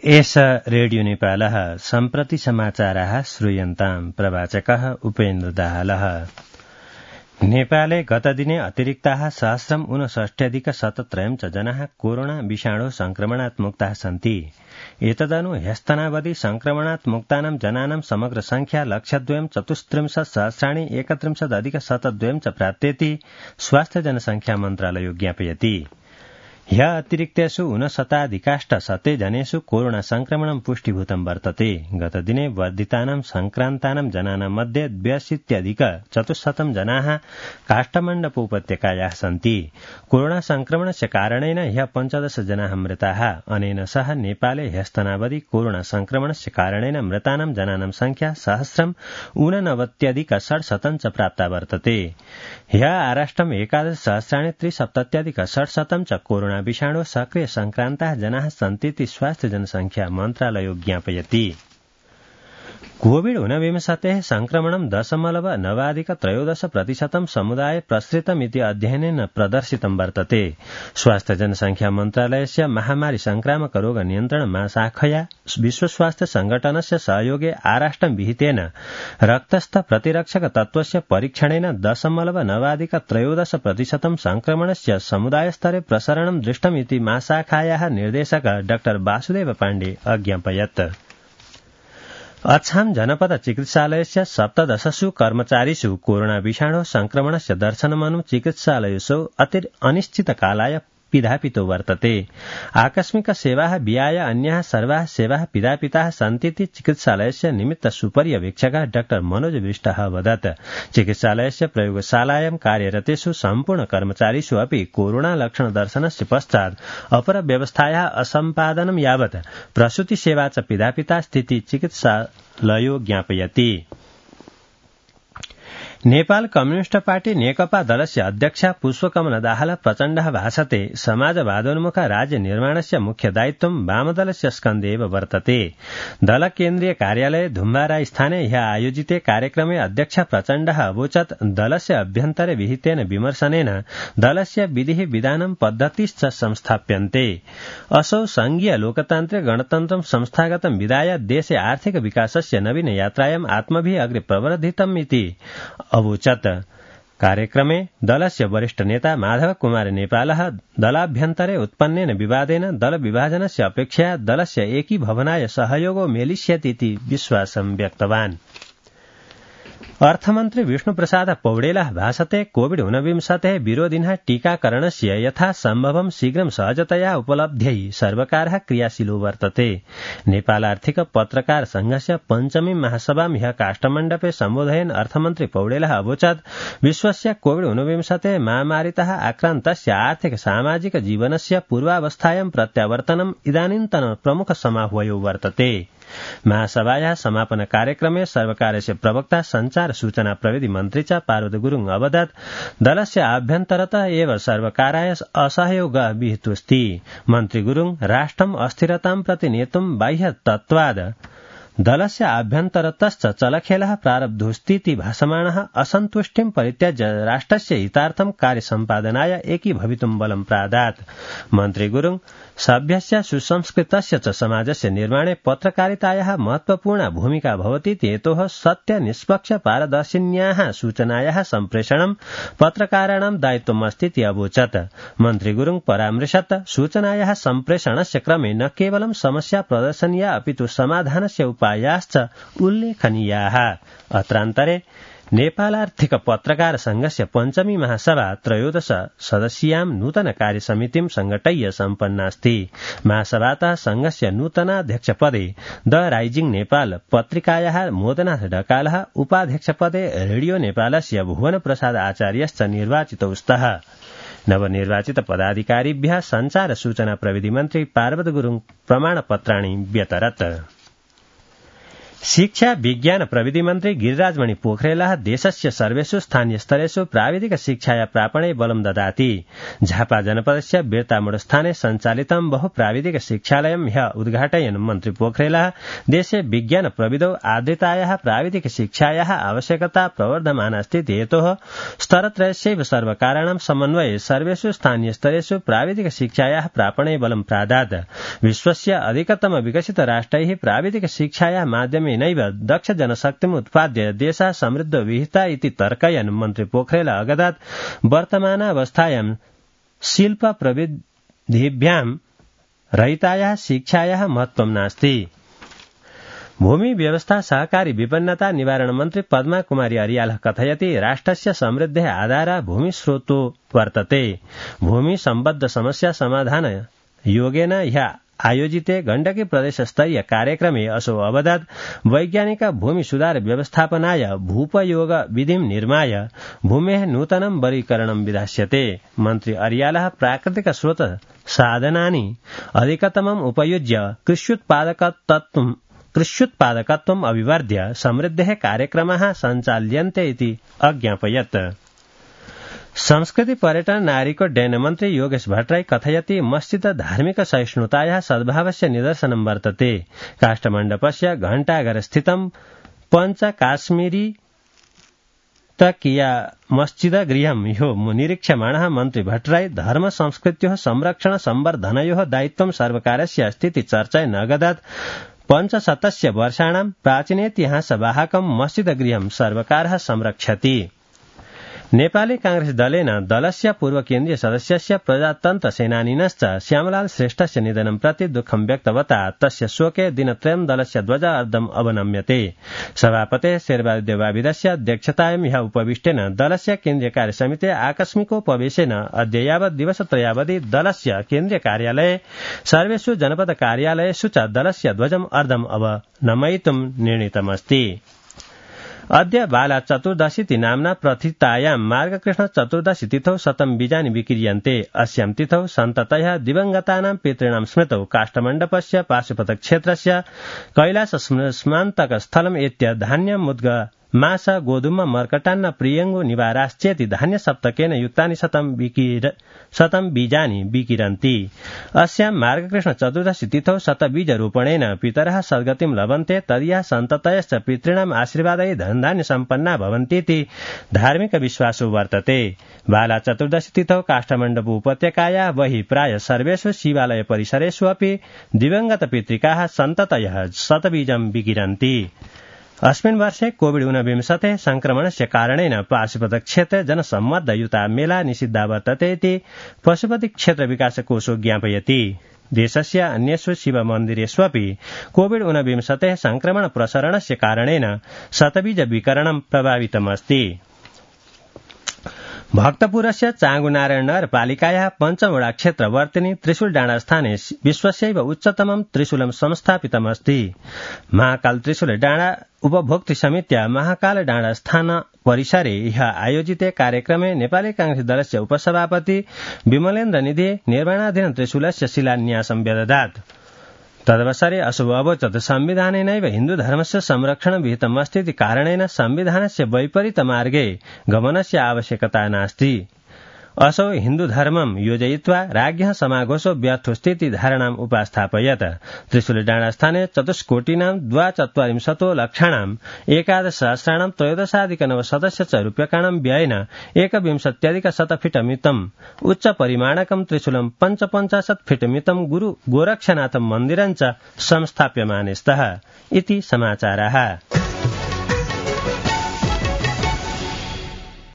एष रेडियो नेपालः सम्प्रति समाचाराः श्रूयन्ताम् प्रवाचकः उपेन्द्र दाहालः। नेपाले गतदिने अतिरिक्ताः 1,59,73 च जनाः कोरोना विषाणु संक्रमणात् मुक्ताः सन्ति। एतदनु ह्यस्तनावधि संक्रमणात् मुक्तानां जनानां समग्र संख्या 1,34,31,अधिक 72 च प्राप्तेति स्वास्थ्य जनसंख्या मन्त्रालयो ज्ञापयति। ह्य अतिरिक्तेषु 59,000 जनेषु कोरोना संक्रमणं पुष्टिभूतं वर्तते। गतदिने वर्धितानां संक्रान्तानां जनानां मध्ये 82,400 जनाः काष्ठमण्डपोपत्यकायाः सन्ति। कोरोना संक्रमणस्य कारणेन ह्य 15 जनाः मृताः। अनेन सह नेपाले ह्यस्तनावधि कोरोना संक्रमणस्य कारणेन मृतानां जनानां संख्या 1,89,670 च प्राप्ता वर्तते। ह्य आराष्ट्रम् 11,370,670 च कोरोना विषाणु सक्रिय संक्रान्ताः जनाः सन्तीति स्वास्थ्य जनसंख्या मन्त्रालयो ज्ञापयति। कोविड-19 संक्रमणं 0.9% समुदाय प्रसृतमिति अध्ययनेन प्रदर्शितं वर्तते। स्वास्थ्य जनसंख्या मन्त्रालयस्य महामारी संक्रामक रोग नियन्त्रण महाशाखया विश्व स्वास्थ्य संगठनस्य सहयोगे आराष्ट्रं विहितेन रक्तस्थ प्रतिरक्षक तत्त्वस्य परीक्षणेन 0.9% संक्रमणस्य समुदायस्तरे प्रसरणं दृष्टमिति महाशाखायाः निर्देशक डॉ वासुदेव पाण्डे अज्ञापयत्। अच्छाम जनपद चिकित्सालयस्य 17 कर्मचारीषु कोरोना विषाणु संक्रमणस्य दर्शनमनु चिकित्सालयेषु अनिश्चितकालाय पिधापितो वर्तते। आकस्मिक सेवाः विहाय अन्याः सर्वाः सेवाः पिधापिताः सन्तीति चिकित्सालयस्य निमित्त सुपर्यवेक्षकः डॉ मनोज विष्टः अवदत्। चिकित्सालयस्य प्रयोगशालायां कार्यरतेषु सम्पूर्ण कर्मचारीषु अपि कोरोना लक्षण दर्शनस्य पश्चात् अपर व्यवस्थायाः असम्पादनं यावत् प्रसूति सेवा च पिधापिता स्थिति चिकित्सालयो ज्ञापयति। नेपाल कम्युनिस्ट पार्टी नेकपा दलस्य अध्यक्षा पुष्पकमल दाहाल प्रचण्डः भाषते समाजवादोन्मुख राज्य निर्माणस्य मुख्य दायित्वं वामदलस्य स्कन्धे एव वर्तते। दल केन्द्रीय कार्यालये धुम्बारा स्थाने ह्यः आयोजिते कार्यक्रमे अध्यक्ष प्रचण्डः अवोचत् दलस्य अभ्यन्तरे विहितेन विमर्शनेन दलस्य विधिः विधानं पद्धतिश्च संस्थाप्यन्ते। असौ संघीय लोकतान्त्रिक गणतन्त्रं संस्थागतं विधाय देशे आर्थिक विकासस्य नवीन यात्रायाम् आत्मभिः अग्रे प्रवर्धितम् इति अवोचत्। कार्यक्रमे दलस्य वरिष्ठ नेता माधव कुमार नेपालः दलाभ्यन्तरे उत्पन्नेन विवादेन दल विभाजनस्य अपेक्षया दलस्य एकीभवनाय सहयोगो मेलिष्यति इति विश्वासं व्यक्तवान्। अर्थमन्त्री विष्णुप्रसाद पौडेलः भाषते कोविड-19 विरोधिनः टीकाकरणस्य यथा सम्भवं शीघ्रं सहजतया उपलब्ध्यै सर्वकारः क्रियाशीलो वर्तते। नेपाल आर्थिक पत्रकार संघस्य 5वीं महासभां ह्यः काष्ठमण्डपे सम्बोधयन् अर्थमन्त्री पौडेलः अवोचत् विश्वस्य कोविड-19 महामारीतः आक्रान्तस्य आर्थिक सामाजिक जीवनस्य पूर्वावस्थायां प्रत्यावर्तनम् इदानीन्तन प्रमुख समाह्वयो वर्तते। महासभायाः समापन कार्यक्रमे सर्वकारस्य प्रवक्ता संचार सूचना प्रविधि मन्त्री च पार्वत गुरुङ अवदत् दलस्य आभ्यन्तरतः एव सर्वकाराय असहयोगः विहितोऽस्ति। मन्त्री गुरुङ राष्ट्रम् अस्थिरतां प्रति नेतुं बाह्य तत्त्वाद् दलस्य आभ्यन्तरतश्च चलखेलः प्रारब्धोऽस्तीति भासमाणः असन्तुष्टिं परित्यज्य राष्ट्रस्य हितार्थं कार्यसम्पादनाय एकीभवितुं बलं प्रादात्। मन्त्री गुरुङ सभ्यस्य सुसंस्कृतस्य च समाजस्य निर्माणे पत्रकारितायाः महत्वपूर्णा भूमिका भवतीति हेतोः सत्य निष्पक्ष पारदर्शिन्याः सूचनायाः सम्प्रेषणं पत्रकाराणां दायित्वमस्तीति अवोचत्। मन्त्री गुरुङ परामृशत् सूचनायाः सम्प्रेषणस्य क्रमे न केवलं समस्या प्रदर्शनीया अपितु समाधानस्य उपायाश्च उल्लेखनीयाः। अत्रान्तरे नेपालार्थिक पत्रकार संघस्य 5वीं महासभा 13 सदस्यां नूतन कार्यसमितिं संघटय्य सम्पन्नास्ति। महासभातः संघस्य नूतनाध्यक्षपदे द राइजिङ नेपाल पत्रिकायाः मोदनाथ ढकालः, उपाध्यक्षपदे रेडियो नेपालस्य भुवन प्रसाद आचार्यश्च निर्वाचितौ स्तः। नवनिर्वाचित पदाधिकारिभ्यः संचार सूचना प्रविधि मन्त्री पार्वत गुरुङ प्रमाणपत्राणि व्यतरत्। शिक्षा विज्ञान प्रविधि मन्त्री गिरिराजमणि पोखरेलः देशस्य सर्वेषु स्थानीयस्तरेषु प्राविधिक शिक्षाया प्रापणे बलं ददाति। झापा जनपदस्य बिर्तामूढस्थाने सञ्चालितं बहुप्राविधिक शिक्षालयं ह्यः उद्घाटयन् मन्त्री पोखरेलः देशे विज्ञान प्रविधौ आदृतायाः प्राविधिक शिक्षायाः आवश्यकता प्रवर्धमाना अस्ति हेतोः स्तरत्रयस्यैव सर्वकाराणां समन्वये सर्वेषु स्थानीयस्तरेषु प्राविधिक शिक्षायाः प्रापणे बलं प्रादात्। विश्वस्य अधिकतम विकसित राष्ट्रैः प्राविधिक शिक्षायाः माध्यमेनैव दक्ष जनशक्तिम् उत्पाद्य देशः समृद्धो विहिता इति तर्कयन् मन्त्री पोखरेल अगदात् वर्तमानावस्थायां शिल्प प्रविधिभ्यां रहितायाः शिक्षायाः महत्त्वं नास्ति। भूमि व्यवस्था सहकारी विपन्नता निवारण मन्त्री पद्मा कुमारी अर्यालः कथयति राष्ट्रस्य समृद्धेः आधारः भूमिस्रोतो वर्तते। भूमि सम्बद्ध समस्या समाधान योगेन ह्यः आयोजिते गण्डकी प्रदेश स्तरीय कार्यक्रमे असौ अवदत् वैज्ञानिक भूमि सुधार व्यवस्थापनाय भूपयोग विधिं निर्माय भूमेः नूतनं वर्गीकरणं विधास्यते। मन्त्री अर्यालः प्राकृतिक स्रोत साधनानि अधिकतमम् उपयुज्य कृष्युत्पादकत्वम् अभिवर्ध्य समृद्धेः कार्यक्रमाः सञ्चाल्यन्ते इति अज्ञापयत्। संस्कृति पर्यटन नागरिकोड्डयन मन्त्री योगेश भट्टराई कथयति मस्जिद धार्मिक सहिष्णुतायाः सद्भावस्य निदर्शनं वर्तते। काष्ठमण्डपस्य घण्टाघरस्थितं पञ्च काश्मीरी तकिया मस्जिद गृहं ह्यो निरीक्ष्यमाणः मन्त्री भट्टराई धर्म संस्कृत्योः संरक्षण संवर्धनयोः दायित्वं सर्वकारस्य अस्ति चर्चयन् अगदत्। 500 वर्षाणां प्राचीनेतिहासवाहकं मस्जिद गृहं सर्वकारः संरक्षति। नेपाली कांग्रेस दलेन दलस्य पूर्व केन्द्रीय सदस्यस्य प्रजातन्त्र सेनानिनश्च श्यामलाल श्रेष्ठस्य निधनं प्रति दुःखं व्यक्तवता तस्य शोके दिनत्रयं दलस्य ध्वज अर्धम् अवनम्यते। सभापतेः शेरबहादुर देवाविदस्य अध्यक्षतायां ह्यः उपविष्टेन दलस्य केन्द्रीय कार्यसमिते आकस्मिकोपवेशेन अद्य यावत् दिवसत्रयावधि दलस्य केन्द्रीय कार्यालये सर्वेषु जनपद कार्यालयेषु च दलस्य ध्वजम् अर्धम् अवनमयितुं निर्णीतमस्ति। अद्य बाला चतुर्दशीति नाम्ना प्रथितायां मार्गकृष्ण चतुर्दशी तिथौ शतं बीजानि विक्रियन्ते। अस्यां तिथौ सन्ततया दिवंगतानां पितॄणां स्मृतौ काष्ठमण्डपस्य पाशुपतक्षेत्रस्य कैलास स्मान्तक स्थलम् एत्य धान्यं मुद्ग मास गोधूम मर्कटान्न प्रियङ्गो निवाराश्चेति धान्य सप्तकेन युक्तानि शतं बीजानि विकिरन्ति। अस्यां मार्गकृष्ण चतुर्दशी तिथौ शतबीजरूपणेन पितरः सद्गतिं लभन्ते तदीयः सन्ततयश्च पितॄणाम् आशीर्वादै धनधान्य सम्पन्ना भवन्तीति धार्मिक विश्वासो वर्तते। बाला चतुर्दशी तिथौ काष्ठमण्डप उपत्यकायाः बहिः प्राय सर्वेषु शिवालय परिसरेषु अपि दिवंगत पितृकाः सन्ततयः शतबीजं विकिरन्ति। अस्मिन् वर्षे कोविड-19 संक्रमणस्य कारणेन पाशुपतक्षेत्रे जनसम्मर्दयुता मेला निषिद्धा वर्तते इति पशुपति क्षेत्र विकास कोषो ज्ञापयति। देशस्य अन्येषु शिवमन्दिरेष्वपि कोविड-19 संक्रमण प्रसरणस्य कारणेन शतबीज विकरणं प्रभावितमस्ति। भक्तपुरस्य चाँगुनारायण नगरपालिकायाः पञ्चमवडा क्षेत्रवर्तिनि त्रिशूलडाँडा स्थाने विश्वस्यैव उच्चतमं त्रिशूलं संस्थापितमस्ति। महाकाल त्रिशूल डाँडा उपभोक्तृ समित्या महाकाल डाँडा स्थान परिसरे ह्यः आयोजिते कार्यक्रमे नेपाली कांग्रेस दलस्य उपसभापति विमलेन्द्र निधि निर्माणाधीन त्रिशूलस्य शिलान्यासं व्यददात्। तदवसरे असौ अवोचत् संविधानेनैव हिन्दुधर्मस्य संरक्षणं विहितमस्तीति कारणेन संविधानस्य वैपरीत मार्गे गमनस्य आवश्यकता नास्ति। असौ हिन्दुधर्मं योजयित्वा राज्ञः समाघोषो व्यर्थोस्तीति धारणाम् उपास्थापयत्। त्रिशूलडाँडास्थाने चतुष्कोटीनां 42 लक्षाणां 11,000 त्रयोदशाधिकनवशतस्य च रूप्यकाणां व्ययेन 21 फीट मितम् उच्च परिमाणकं त्रिशूलं 55 फीट मितं गुरु गोरक्षनाथ मन्दिरं च संस्थाप्यमाने स्तः इति समाचारः।